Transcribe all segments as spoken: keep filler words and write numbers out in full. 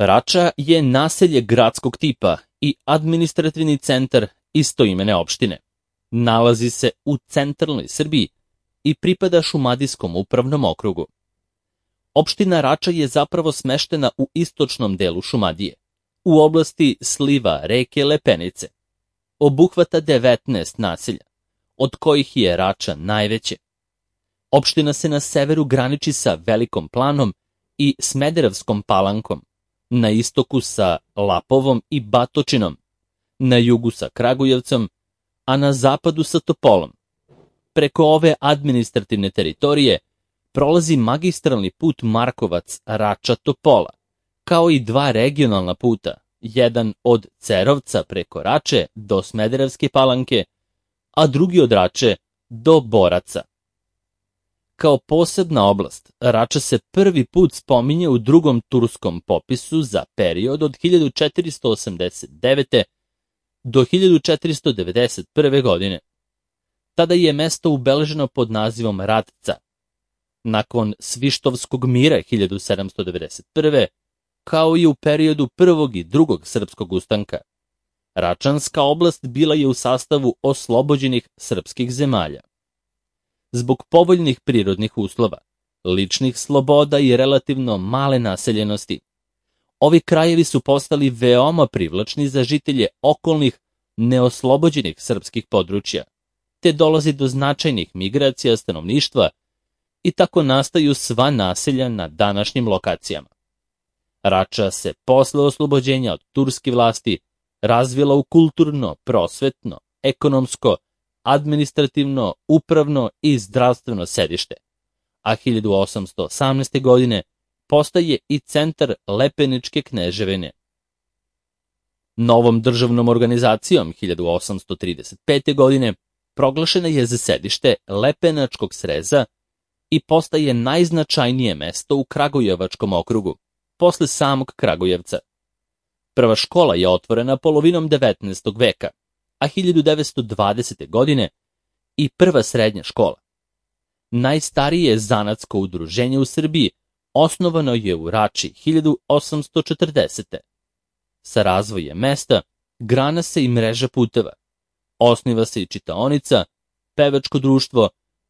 Rača je naselje gradskog tipa i administrativni centar istoimene opštine. Nalazi se u centralnoj Srbiji i pripada Šumadijskom upravnom okrugu. Opština Rača je zapravo smeštena u istočnom delu Šumadije, u oblasti sliva reke Lepenice. Obuhvata devetnaest naselja, od kojih je Rača najveće. Opština se na severu graniči sa Velikom Planom i Smederevskom Palankom, na istoku sa Lapovom i Batočinom, na jugu sa Kragujevcom, a na zapadu sa Topolom. Preko ove administrativne teritorije prolazi magistralni put Markovac-Rača-Topola, kao i dva regionalna puta, jedan od Cerovca preko Rače do Smederevske Palanke, a drugi od Rače do Boraca. Kao posebna oblast, Rača se prvi put spominje u drugom turskom popisu za period od hiljadu četiristo osamdeset devete. do hiljadu četiristo devedeset prve. godine. Tada je mesto ubeleženo pod nazivom Ratca. Nakon Svištovskog mira hiljadu sedamsto devedeset prve. kao i u periodu prvog i drugog srpskog ustanka, Račanska oblast bila je u sastavu oslobođenih srpskih zemalja. Zbog povoljnih prirodnih uslova, ličnih sloboda i relativno male naseljenosti, ovi krajevi su postali veoma privlačni za žitelje okolnih neoslobođenih srpskih područja, te dolazi do značajnih migracija stanovništva i tako nastaju sva naselja na današnjim lokacijama. Rača se posle oslobođenja od turske vlasti razvila u kulturno, prosvetno, ekonomsko, administrativno, upravno i zdravstveno sedište, a hiljadu osamsto osamnaeste. godine postaje i centar Lepeničke kneževine. Novom državnom organizacijom hiljadu osamsto trideset pete. godine proglašena je za sedište Lepenačkog sreza i postaje najznačajnije mesto u Kragujevačkom okrugu, posle samog Kragujevca. Prva škola je otvorena polovinom devetnaestog veka, a hiljadu devetsto dvadesete. godine i prva srednja škola. Najstarije zanatsko udruženje u Srbiji osnovano je u Rači hiljadu osamsto četrdesete. Sa razvojem mesta grana se i mreža puteva, osniva se i čitaonica, pevačko društvo,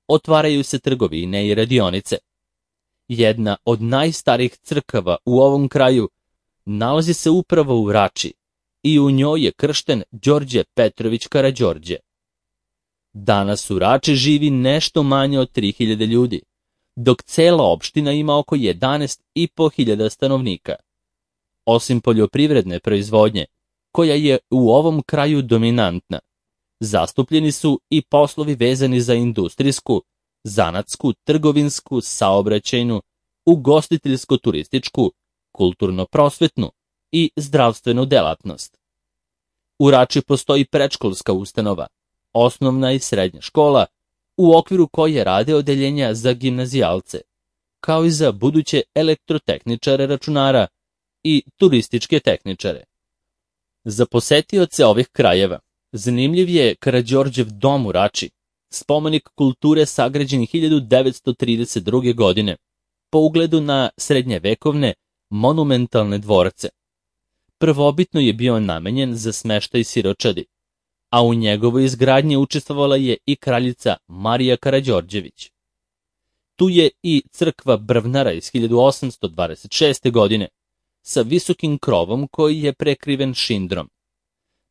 otvaraju se trgovine i radionice. Jedna od najstarijih crkava u ovom kraju nalazi se upravo u Rači i u njoj je kršten Đorđe Petrović Karađorđe. Danas u Rači živi nešto manje od tri hiljade ljudi, dok cela opština ima oko jedanaest i po hiljada stanovnika. Osim poljoprivredne proizvodnje, koja je u ovom kraju dominantna, zastupljeni su i poslovi vezani za industrijsku, zanatsku, trgovinsku, saobraćajnu, ugostiteljsko-turističku, kulturno-prosvetnu i zdravstvenu delatnost. U Rači postoji predškolska ustanova, osnovna i srednja škola, u okviru koje rade odeljenja za gimnazijalce, kao i za buduće elektrotehničare računara i turističke tehničare. Za posetioce ovih krajeva zanimljiv je Karađorđev dom u Rači, spomenik kulture sagrađen hiljadu devetsto trideset druge. godine, po ugledu na srednjevekovne monumentalne dvorce. Prvobitno je bio namenjen za smeštaj siročadi, a u njegovoj izgradnji učestvovala je i kraljica Marija Karađorđević. Tu je i crkva Brvnara iz hiljadu osamsto dvadeset šeste. godine, sa visokim krovom koji je prekriven šindrom.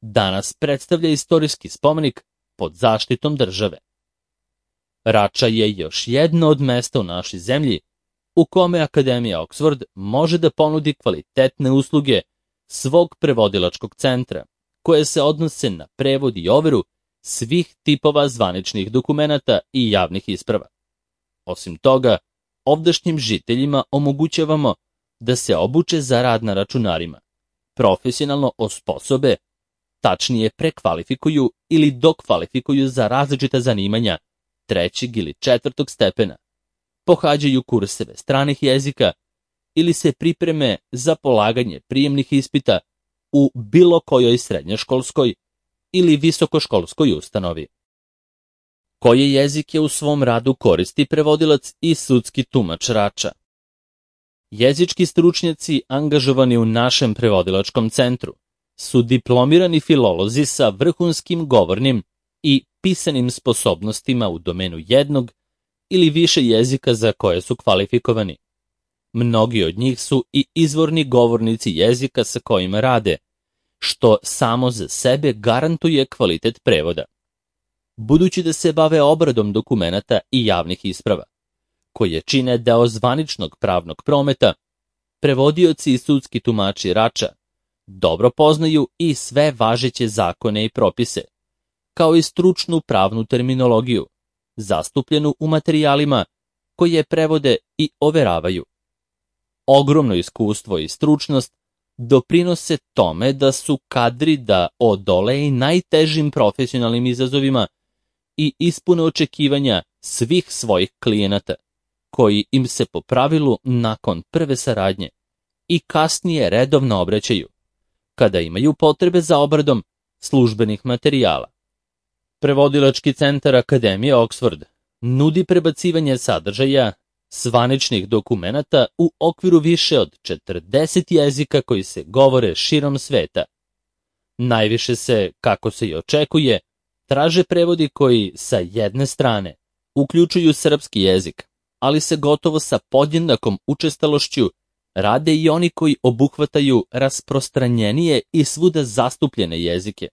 Danas predstavlja istorijski spomenik pod zaštitom države. Rača je još jedno od mesta u našoj zemlji u kome Akademija Oxford može da ponudi kvalitetne usluge svog prevodilačkog centra, koje se odnose na prevod i overu svih tipova zvaničnih dokumenata i javnih isprava. Osim toga, ovdašnjim žiteljima omogućavamo da se obuče za rad na računarima, profesionalno osposobe, tačnije prekvalifikuju ili dokvalifikuju za različita zanimanja trećeg ili četvrtog stepena, pohađaju kurseve stranih jezika ili se pripreme za polaganje prijemnih ispita u bilo kojoj srednjoškolskoj ili visokoškolskoj ustanovi. Koje jezike u svom radu koristi prevodilac i sudski tumač Rača? Jezički stručnjaci angažovani u našem prevodilačkom centru su diplomirani filolozi sa vrhunskim govornim i pisanim sposobnostima u domenu jednog ili više jezika za koje su kvalifikovani. Mnogi od njih su i izvorni govornici jezika sa kojima rade, što samo za sebe garantuje kvalitet prevoda. Budući da se bave obradom dokumenata i javnih isprava, koje čine deo zvaničnog pravnog prometa, prevodioci i sudski tumači Rača dobro poznaju i sve važeće zakone i propise, kao i stručnu pravnu terminologiju, zastupljenu u materijalima koje prevode i overavaju. Ogromno iskustvo i stručnost doprinose tome da su kadri da odole i najtežim profesionalnim izazovima i ispune očekivanja svih svojih klijenata, koji im se po pravilu nakon prve saradnje i kasnije redovno obraćaju, kada imaju potrebe za obradom službenih materijala. Prevodilački centar Akademije Oxford nudi prebacivanje sadržaja zvaničnih dokumenata u okviru više od četrdeset jezika koji se govore širom sveta. Najviše se, kako se i očekuje, traže prevodi koji sa jedne strane uključuju srpski jezik, ali se gotovo sa podjednakom učestalošću rade i oni koji obuhvataju rasprostranjenije i svuda zastupljene jezike,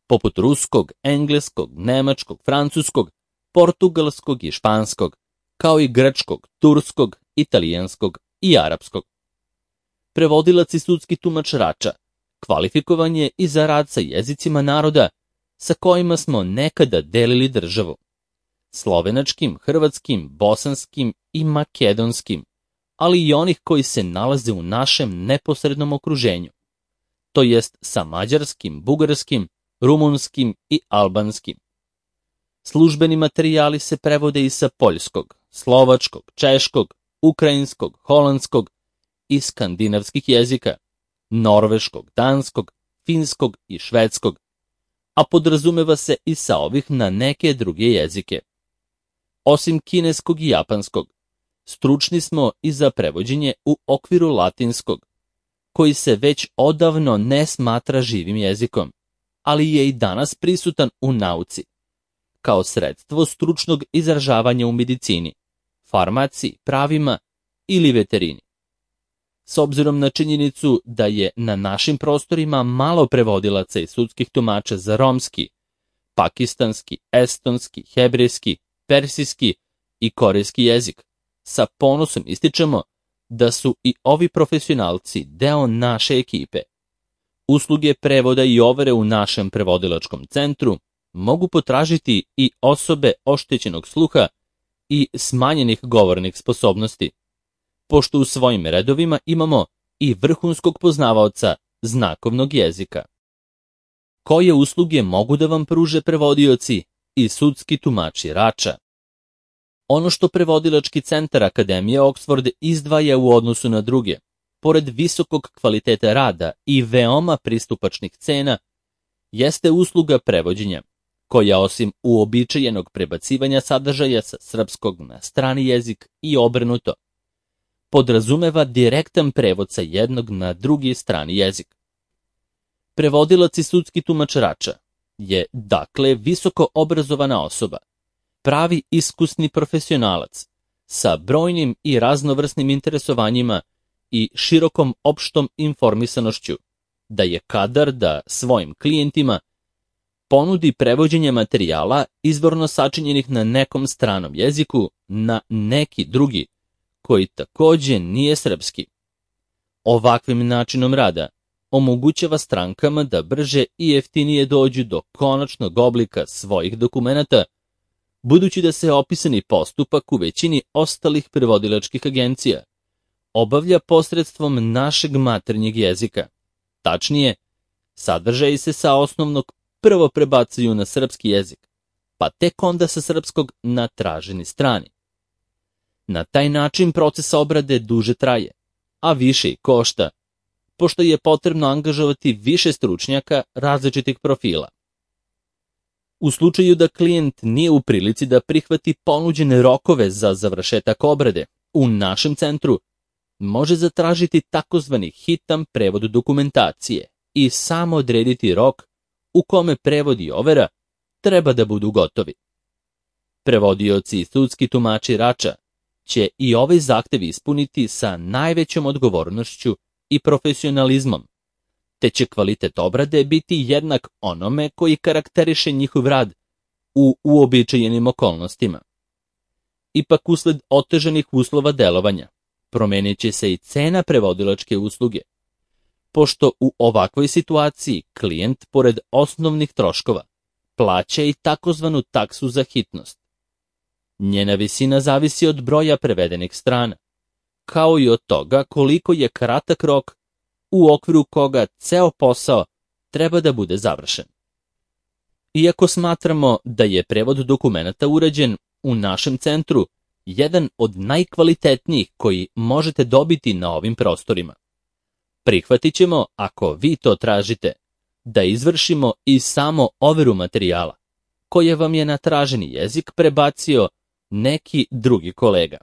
poput ruskog, engleskog, nemačkog, francuskog, portugalskog i španskog, kao i grčkog, turskog, italijanskog i arapskog. Prevodilac i sudski tumač Rača kvalifikovan je i za rad sa jezicima naroda sa kojima smo nekada delili državu, slovenačkim, hrvatskim, bosanskim i makedonskim, ali i onih koji se nalaze u našem neposrednom okruženju, to jest sa mađarskim, bugarskim, rumunskim i albanskim. Službeni materijali se prevode i sa poljskog, slovačkog, češkog, ukrajinskog, holandskog i skandinavskih jezika, norveškog, danskog, finskog i švedskog, a podrazumeva se i sa ovih na neke druge jezike. Osim kineskog i japanskog, stručni smo i za prevođenje u okviru latinskog, koji se već odavno ne smatra živim jezikom, ali je i danas prisutan u nauci, kao sredstvo stručnog izražavanja u medicini, farmaciji, pravima ili veterini. S obzirom na činjenicu da je na našim prostorima malo prevodilaca i sudskih tumača za romski, pakistanski, estonski, hebrejski, persijski i korejski jezik, sa ponosom ističemo da su i ovi profesionalci deo naše ekipe. Usluge prevoda i overe u našem prevodilačkom centru mogu potražiti i osobe oštećenog sluha i smanjenih govornih sposobnosti, pošto u svojim redovima imamo i vrhunskog poznavaoca znakovnog jezika. Koje usluge mogu da vam pruže prevodioci i sudski tumači Rača? Ono što prevodilački centar Akademije Oxford izdvaja u odnosu na druge, pored visokog kvaliteta rada i veoma pristupačnih cena, jeste usluga prevođenja, koja osim uobičajenog prebacivanja sadržaja sa srpskog na strani jezik i obrnuto, podrazumeva direktan prevod sa jednog na drugi strani jezik. Prevodilac i sudski tumač Rača je, dakle, visoko obrazovana osoba, pravi iskusni profesionalac, sa brojnim i raznovrsnim interesovanjima i širokom opštom informisanošću, da je kadar da svojim klijentima ponudi prevođenje materijala izvorno sačinjenih na nekom stranom jeziku na neki drugi, koji takođe nije srpski. Ovakvim načinom rada omogućava strankama da brže i jeftinije dođu do konačnog oblika svojih dokumenata, budući da se opisani postupak u većini ostalih prevodilačkih agencija obavlja posredstvom našeg maternjeg jezika. Tačnije, sadržaji se sa osnovnog prvo prebacuju na srpski jezik, pa tek onda sa srpskog na traženi strani. Na taj način proces obrade duže traje, a više i košta, pošto je potrebno angažovati više stručnjaka različitih profila. U slučaju da klijent nije u prilici da prihvati ponuđene rokove za završetak obrade, u našem centru može zatražiti takozvani hitan prevod dokumentacije i samo odrediti rok u kome prevod i overa treba da budu gotovi. Prevodioci i sudski tumači Rača će i ovaj zahtev ispuniti sa najvećom odgovornošću i profesionalizmom, te će kvalitet obrade biti jednak onome koji karakteriše njihov rad u uobičajenim okolnostima. Ipak, usled otežanih uslova delovanja, promenit će se i cena prevodilačke usluge, pošto u ovakvoj situaciji klijent, pored osnovnih troškova, plaća i takozvanu taksu za hitnost. Njena visina zavisi od broja prevedenih strana, kao i od toga koliko je kratak rok u okviru koga ceo posao treba da bude završen. Iako smatramo da je prevod dokumenata urađen u našem centru jedan od najkvalitetnijih koji možete dobiti na ovim prostorima, prihvatit ćemo, ako vi to tražite, da izvršimo i samo overu materijala, koje vam je na traženi jezik prebacio neki drugi kolega.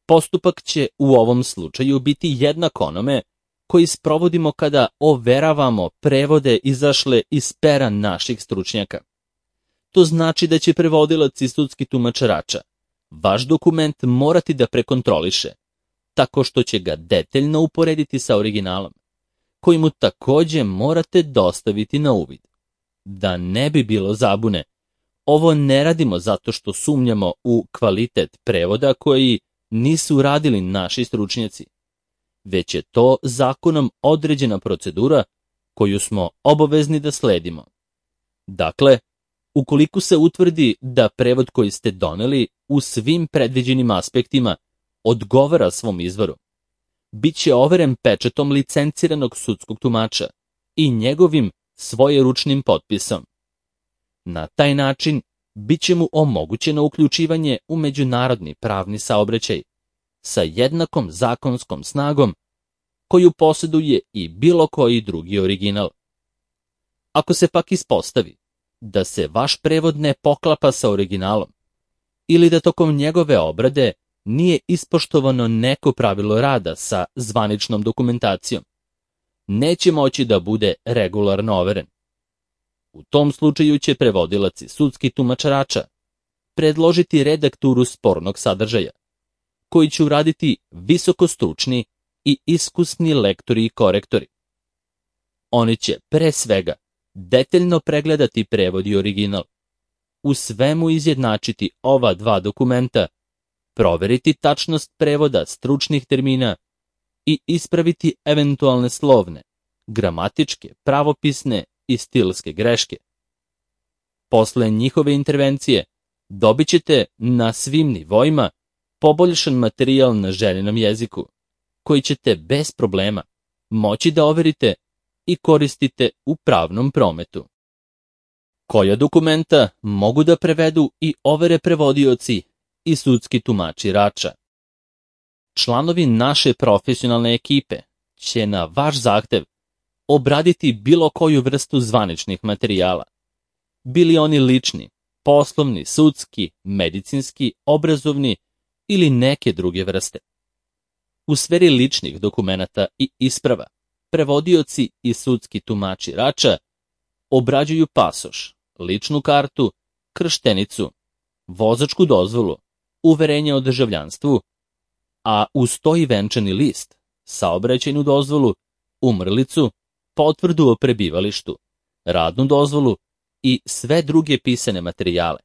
Postupak će u ovom slučaju biti jednak onome koji sprovodimo kada overavamo prevode izašle iz pera naših stručnjaka. To znači da će prevodilac i sudski tumač Rača vaš dokument morati da prekontroliše, tako što će ga detaljno uporediti sa originalom, koji mu takođe morate dostaviti na uvid. Da ne bi bilo zabune, ovo ne radimo zato što sumnjamo u kvalitet prevoda koji nisu radili naši stručnjaci, već je to zakonom određena procedura koju smo obavezni da sledimo. Dakle, ukoliko se utvrdi da prevod koji ste doneli u svim predviđenim aspektima odgovara svom izvoru, bit će overen pečatom licenciranog sudskog tumača i njegovim svojeručnim potpisom. Na taj način bit će mu omogućeno uključivanje u međunarodni pravni saobraćaj sa jednakom zakonskom snagom koju posjeduje i bilo koji drugi original. Ako se pak ispostavi da se vaš prevod ne poklapa sa originalom ili da tokom njegove obrade nije ispoštovano neko pravilo rada sa zvaničnom dokumentacijom, neće moći da bude regularno overen. U tom slučaju će prevodilac i sudski tumač Rača predložiti redakturu spornog sadržaja, koji će uraditi visokostručni i iskusni lektori i korektori. Oni će pre svega detaljno pregledati prevod i original, u svemu izjednačiti ova dva dokumenta, proveriti tačnost prevoda stručnih termina i ispraviti eventualne slovne, gramatičke, pravopisne i stilske greške. Posle njihove intervencije dobit ćete na svim nivoima poboljšan materijal na željenom jeziku, koji ćete bez problema moći da overite i koristite u pravnom prometu. Koja dokumenta mogu da prevedu i overe prevodioci i sudski tumači Rača? Članovi naše profesionalne ekipe će na vaš zahtev obraditi bilo koju vrstu zvaničnih materijala, bili oni lični, poslovni, sudski, medicinski, obrazovni ili neke druge vrste. U sferi ličnih dokumenata i isprava, prevodioci i sudski tumači Rača obrađuju pasoš, ličnu kartu, krštenicu, vozačku dozvolu, uverenje o državljanstvu, a uz to i venčani list, saobraćajnu dozvolu, umrlicu, potvrdu o prebivalištu, radnu dozvolu i sve druge pisane materijale,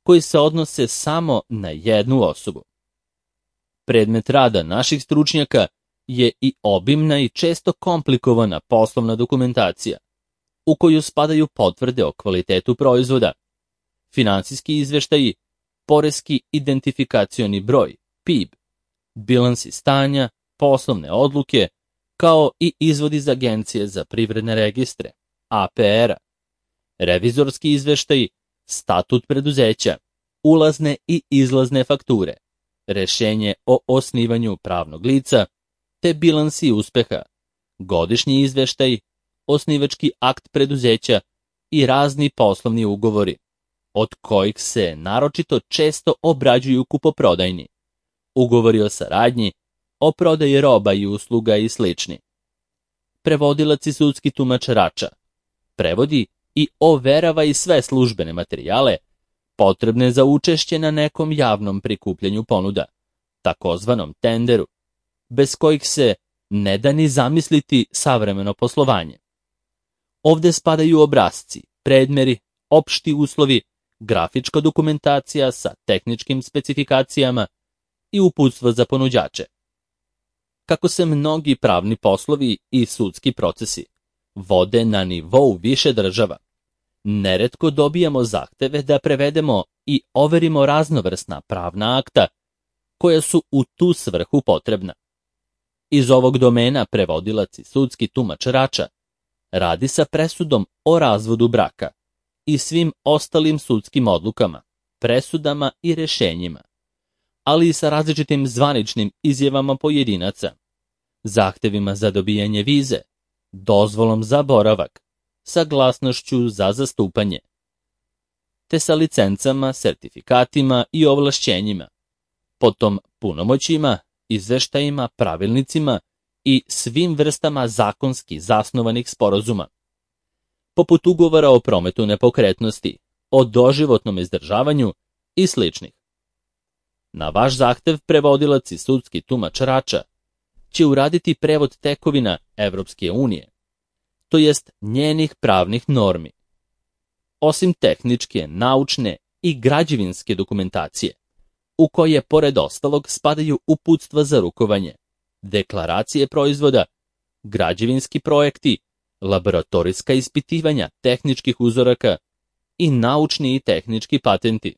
koji se odnose samo na jednu osobu. Predmet rada naših stručnjaka je i obimna i često komplikovana poslovna dokumentacija, u koju spadaju potvrde o kvalitetu proizvoda, finansijski izveštaji, poreski identifikacioni broj, P I B, bilansi stanja, poslovne odluke, kao i izvod iz Agencije za privredne registre, A P R-a, revizorski izveštaji, statut preduzeća, ulazne i izlazne fakture, rešenje o osnivanju pravnog lica, te bilansi uspeha, godišnji izveštaj, osnivački akt preduzeća i razni poslovni ugovori, od kojih se naročito često obrađuju kupoprodajni, ugovori o saradnji o prodaji roba i usluga i slični. Prevodilac i sudski tumač Rača prevodi i overava i sve službene materijale potrebne za učešće na nekom javnom prikupljanju ponuda, takozvanom tenderu, bez kojih se ne da ni zamisliti savremeno poslovanje. Ovde spadaju obrasci, predmeri, opšti uslovi, grafička dokumentacija sa tehničkim specifikacijama i uputstva za ponuđače. Kako se mnogi pravni poslovi i sudski procesi vode na nivou više država, neretko dobijamo zahteve da prevedemo i overimo raznovrsna pravna akta koja su u tu svrhu potrebna. Iz ovog domena prevodilac i sudski tumač Rača radi sa presudom o razvodu braka i svim ostalim sudskim odlukama, presudama i rešenjima, ali i sa različitim zvaničnim izjavama pojedinaca, zahtevima za dobijanje vize, dozvolom za boravak, saglasnošću za zastupanje, te sa licencama, sertifikatima i ovlašćenjima, potom punomoćima, izveštajima, pravilnicima i svim vrstama zakonski zasnovanih sporazuma, poput ugovora o prometu nepokretnosti, o doživotnom izdržavanju i sličnih. Na vaš zahtev prevodilac i sudski tumač Rača će uraditi prevod tekovina Evropske unije, to jest njenih pravnih normi. Osim tehničke, naučne i građevinske dokumentacije, u koje pored ostalog spadaju uputstva za rukovanje, deklaracije proizvoda, građevinski projekti, laboratorijska ispitivanja tehničkih uzoraka i naučni i tehnički patenti.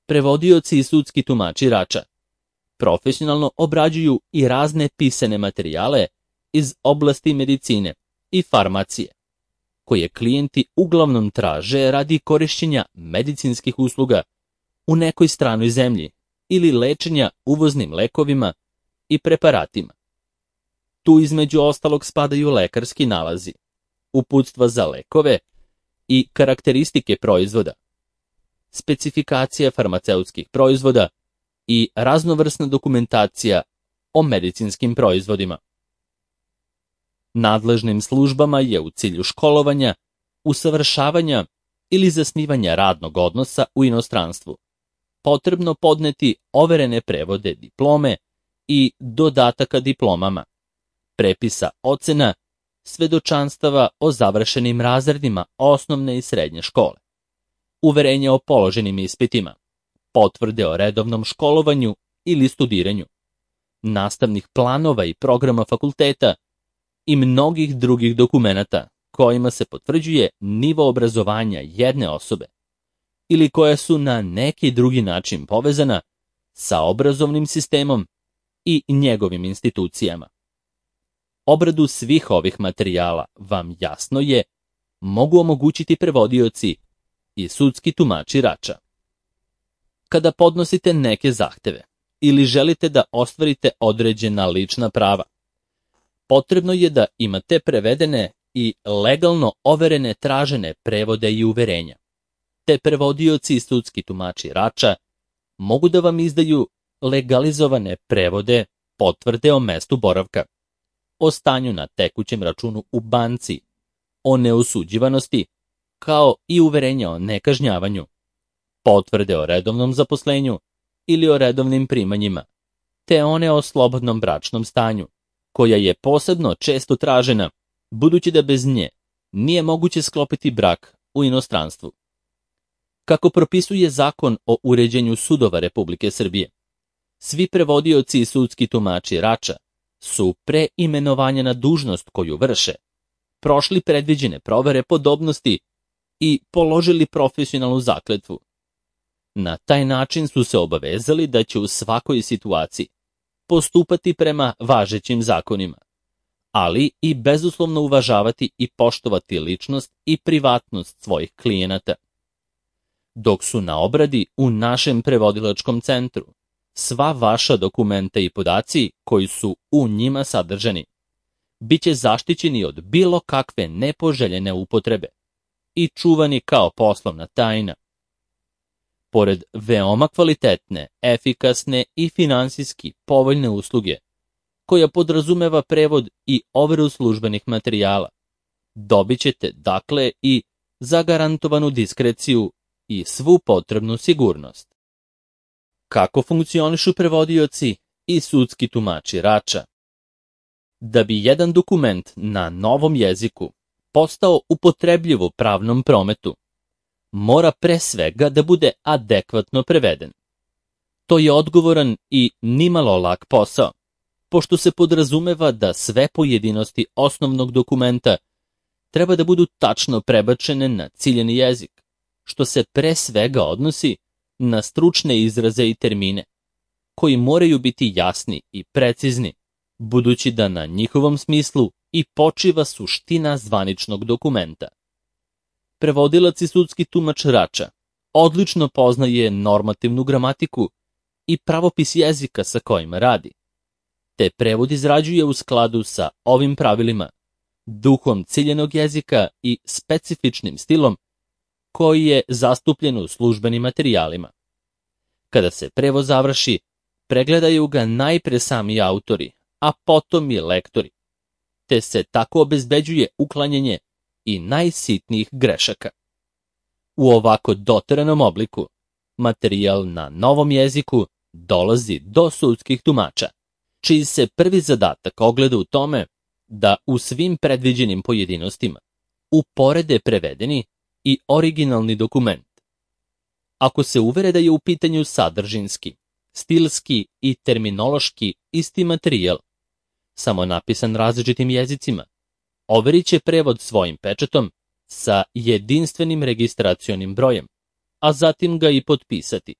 Prevodioci i sudski tumači Rača profesionalno obrađuju i razne pisane materijale iz oblasti medicine i farmacije, koje klijenti uglavnom traže radi korišćenja medicinskih usluga u nekoj stranoj zemlji ili lečenja uvoznim lekovima i preparatima. Tu između ostalog spadaju lekarski nalazi, uputstva za lekove i karakteristike proizvoda, specifikacija farmaceutskih proizvoda i raznovrsna dokumentacija o medicinskim proizvodima. Nadležnim službama je u cilju školovanja, usavršavanja ili zasnivanja radnog odnosa u inostranstvu potrebno podneti overene prevode diplome i dodataka diplomama, prepisa ocena, svedočanstava o završenim razredima osnovne i srednje škole, uverenja o položenim ispitima, potvrde o redovnom školovanju ili studiranju, nastavnih planova i programa fakulteta i mnogih drugih dokumenata kojima se potvrđuje nivo obrazovanja jedne osobe ili koja su na neki drugi način povezana sa obrazovnim sistemom i njegovim institucijama. Obradu svih ovih materijala vam jasno je mogu omogućiti prevodioci i sudski tumači Rača. Kada podnosite neke zahteve ili želite da ostvarite određena lična prava, potrebno je da imate prevedene i legalno overene tražene prevode i uverenja, te prevodioci i sudski tumači Rača mogu da vam izdaju legalizovane prevode, potvrde o mestu boravka, o stanju na tekućem računu u banci, o neosuđivanosti, kao i uverenja o nekažnjavanju, potvrde o redovnom zaposlenju ili o redovnim primanjima, te one o slobodnom bračnom stanju, koja je posebno često tražena, budući da bez nje nije moguće sklopiti brak u inostranstvu. Kako propisuje Zakon o uređenju sudova Republike Srbije, svi prevodioci i sudski tumači Rača su pre imenovanja na dužnost koju vrše prošli predviđene provere podobnosti i položili profesionalnu zakletvu. Na taj način su se obavezali da će u svakoj situaciji postupati prema važećim zakonima, ali i bezuslovno uvažavati i poštovati ličnost i privatnost svojih klijenata. Dok su na obradi u našem prevodilačkom centru, sva vaša dokumenta i podaci koji su u njima sadržani biće zaštićeni od bilo kakve nepoželjene upotrebe i čuvani kao poslovna tajna. Pored veoma kvalitetne, efikasne i finansijski povoljne usluge koja podrazumeva prevod i overu službenih materijala. Dobit ćete, dakle, i zagarantovanu diskreciju i svu potrebnu sigurnost. Kako funkcionišu prevodioci i sudski tumači Rača? Da bi jedan dokument na novom jeziku postao upotrebljiv u pravnom prometu, mora pre svega da bude adekvatno preveden. To je odgovoran i nimalo lak posao, pošto se podrazumeva da sve pojedinosti osnovnog dokumenta treba da budu tačno prebačene na ciljeni jezik, što se pre svega odnosi na stručne izraze i termine, koji moraju biti jasni i precizni, budući da na njihovom smislu i počiva suština zvaničnog dokumenta. Prevodilac i sudski tumač Rača odlično poznaje normativnu gramatiku i pravopis jezika sa kojima radi, te prevod izrađuje u skladu sa ovim pravilima, duhom ciljenog jezika i specifičnim stilom koji je zastupljen u službenim materijalima. Kada se prevod završi, pregledaju ga najpre sami autori, a potom i lektori, te se tako obezbeđuje uklanjanje i najsitnijih grešaka. U ovako doteranom obliku, materijal na novom jeziku dolazi do sudskih tumača, čiji se prvi zadatak ogleda u tome da u svim predviđenim pojedinostima uporede prevedeni i originalni dokument. Ako se uvere da je u pitanju sadržinski, stilski i terminološki isti materijal, samo napisan različitim jezicima, overit će prevod svojim pečatom sa jedinstvenim registracionim brojem, a zatim ga i potpisati.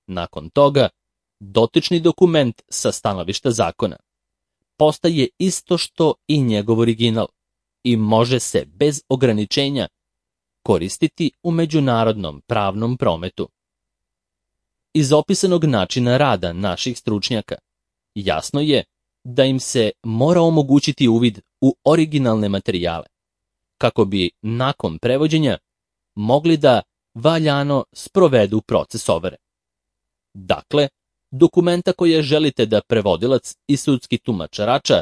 Nakon toga, dotični dokument sa stanovišta zakona postaje isto što i njegov original i može se bez ograničenja koristiti u međunarodnom pravnom prometu. Iz opisanog načina rada naših stručnjaka jasno je da im se mora omogućiti uvid u originalne materijale, kako bi nakon prevođenja mogli da valjano sprovedu proces overe. Dakle, dokumenta koje želite da prevodilac i sudski tumač Rača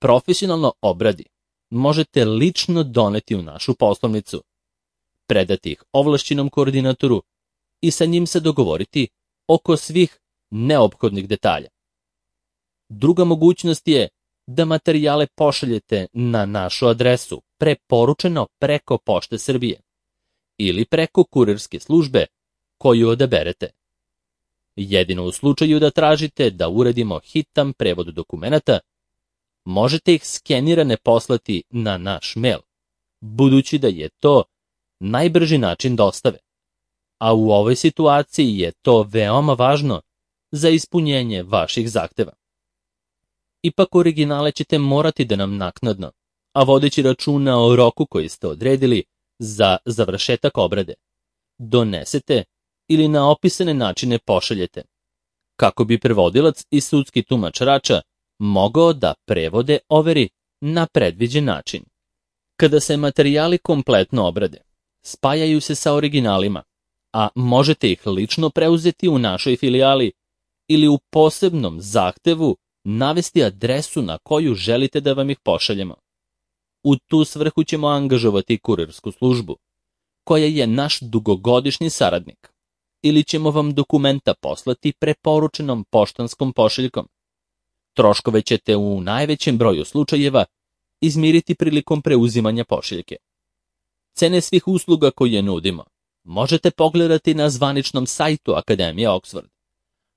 profesionalno obradi, možete lično doneti u našu poslovnicu, predati ih ovlašćenom koordinatoru i sa njim se dogovoriti oko svih neophodnih detalja. Druga mogućnost je da materijale pošaljete na našu adresu preporučeno preko Pošte Srbije ili preko kurirske službe koju odaberete. Jedino u slučaju da tražite da uradimo hitan prevod dokumenata, možete ih skenirane poslati na naš mail, budući da je to najbrži način dostave, a u ovoj situaciji je to veoma važno za ispunjenje vaših zahteva. Ipak originale ćete morati da nam naknadno, a vodeći računa o roku koji ste odredili za završetak obrade, donesete ili na opisane načine pošaljete, kako bi prevodilac i sudski tumač Rača mogao da prevode overi na predviđen način. Kada se materijali kompletno obrade, spajaju se sa originalima, a možete ih lično preuzeti u našoj filijali ili u posebnom zahtevu navesti adresu na koju želite da vam ih pošaljemo. U tu svrhu ćemo angažovati kurirsku službu, koja je naš dugogodišnji saradnik, ili ćemo vam dokumenta poslati preporučenom poštanskom pošiljkom. Troškove ćete u najvećem broju slučajeva izmiriti prilikom preuzimanja pošiljke. Cene svih usluga koje nudimo možete pogledati na zvaničnom sajtu Akademije Oxford,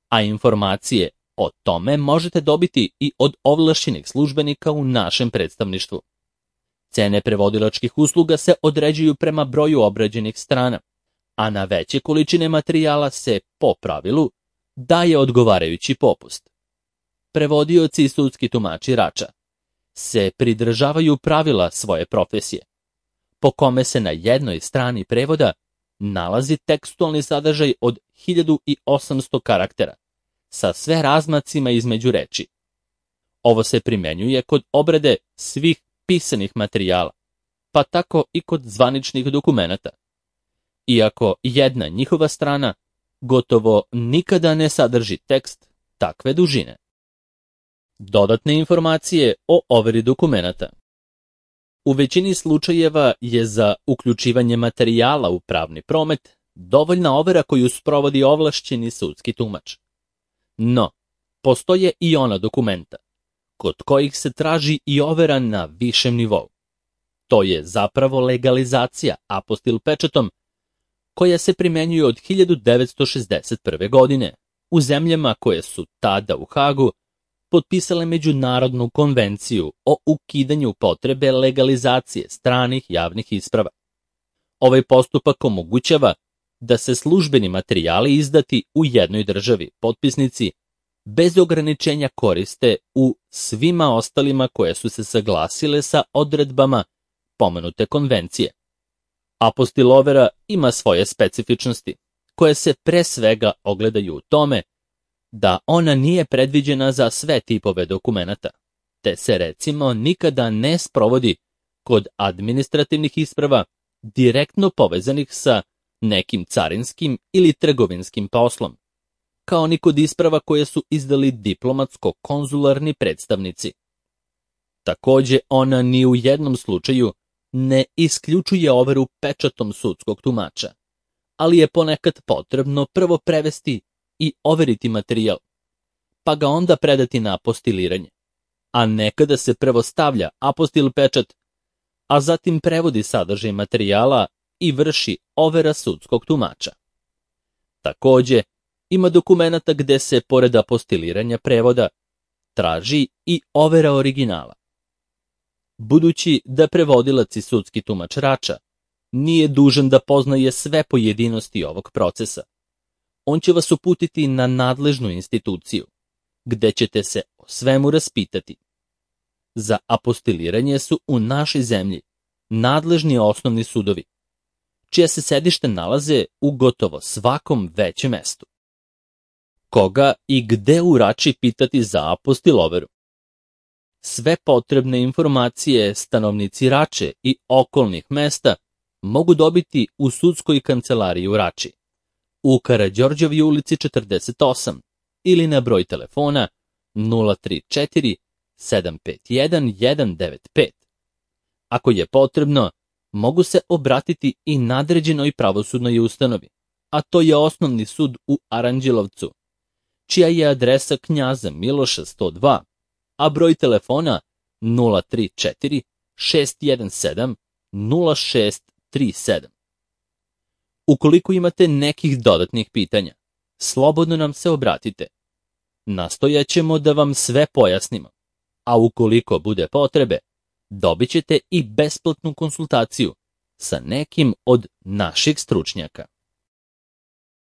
a informacije o tome možete dobiti i od ovlašćenih službenika u našem predstavništvu. Cene prevodilačkih usluga se određuju prema broju obrađenih strana, a na veće količine materijala se, po pravilu, daje odgovarajući popust. Prevodioci i sudski tumači Rača se pridržavaju pravila svoje profesije, po kome se na jednoj strani prevoda nalazi tekstualni sadržaj od hiljadu osamsto karaktera, sa sve razmacima između reči. Ovo se primenjuje kod obrade svih pisanih materijala, pa tako i kod zvaničnih dokumenata, iako jedna njihova strana gotovo nikada ne sadrži tekst takve dužine. Dodatne informacije o overi dokumenata. U većini slučajeva je za uključivanje materijala u pravni promet dovoljna overa koju sprovodi ovlašćeni sudski tumač. No, postoje i ona dokumenta, kod kojih se traži i overa na višem nivou. To je zapravo legalizacija apostil pečatom, koja se primenjuje od hiljadu devetsto šezdeset prve. godine u zemljama koje su tada u Hagu potpisale Međunarodnu konvenciju o ukidanju potrebe legalizacije stranih javnih isprava. Ovaj postupak omogućava da se službeni materijali izdati u jednoj državi potpisnici bez ograničenja koriste u svima ostalima koje su se saglasile sa odredbama pomenute konvencije. Apostil overa ima svoje specifičnosti, koje se pre svega ogledaju u tome da ona nije predviđena za sve tipove dokumenata, te se recimo nikada ne sprovodi kod administrativnih isprava direktno povezanih sa nekim carinskim ili trgovinskim poslom, kao ni kod isprava koje su izdali diplomatsko-konzularni predstavnici. Takođe, ona ni u jednom slučaju ne isključuje overu pečatom sudskog tumača, ali je ponekad potrebno prvo prevesti i overiti materijal, pa ga onda predati na apostiliranje, a nekada se prvo stavlja apostil pečat, a zatim prevodi sadržaj materijala i vrši overa sudskog tumača. Takođe, ima dokumenata gde se, pored apostiliranja prevoda, traži i overa originala. Budući da prevodilac i sudski tumač Rača nije dužan da poznaje sve pojedinosti ovog procesa, on će vas uputiti na nadležnu instituciju, gde ćete se o svemu raspitati. Za apostiliranje su u našoj zemlji nadležni osnovni sudovi, čija se sedište nalaze u gotovo svakom većem mestu. Koga i gde u Rači pitati za apostil overu? Sve potrebne informacije stanovnici Rače i okolnih mesta mogu dobiti u sudskoj kancelariji u Rači, u Karađorđevoj ulici četrdeset osam ili na broj telefona nula tri četiri sedam pet jedan jedan devet pet. Ako je potrebno, mogu se obratiti i nadređenoj pravosudnoj ustanovi, a to je osnovni sud u Aranđelovcu, čija je adresa Knjaza Miloša sto dva, a broj telefona nula tri četiri šest jedan sedam nula šest tri sedam. Ukoliko imate nekih dodatnih pitanja, slobodno nam se obratite. Nastojaćemo da vam sve pojasnimo, a ukoliko bude potrebe, dobit ćete i besplatnu konsultaciju sa nekim od naših stručnjaka.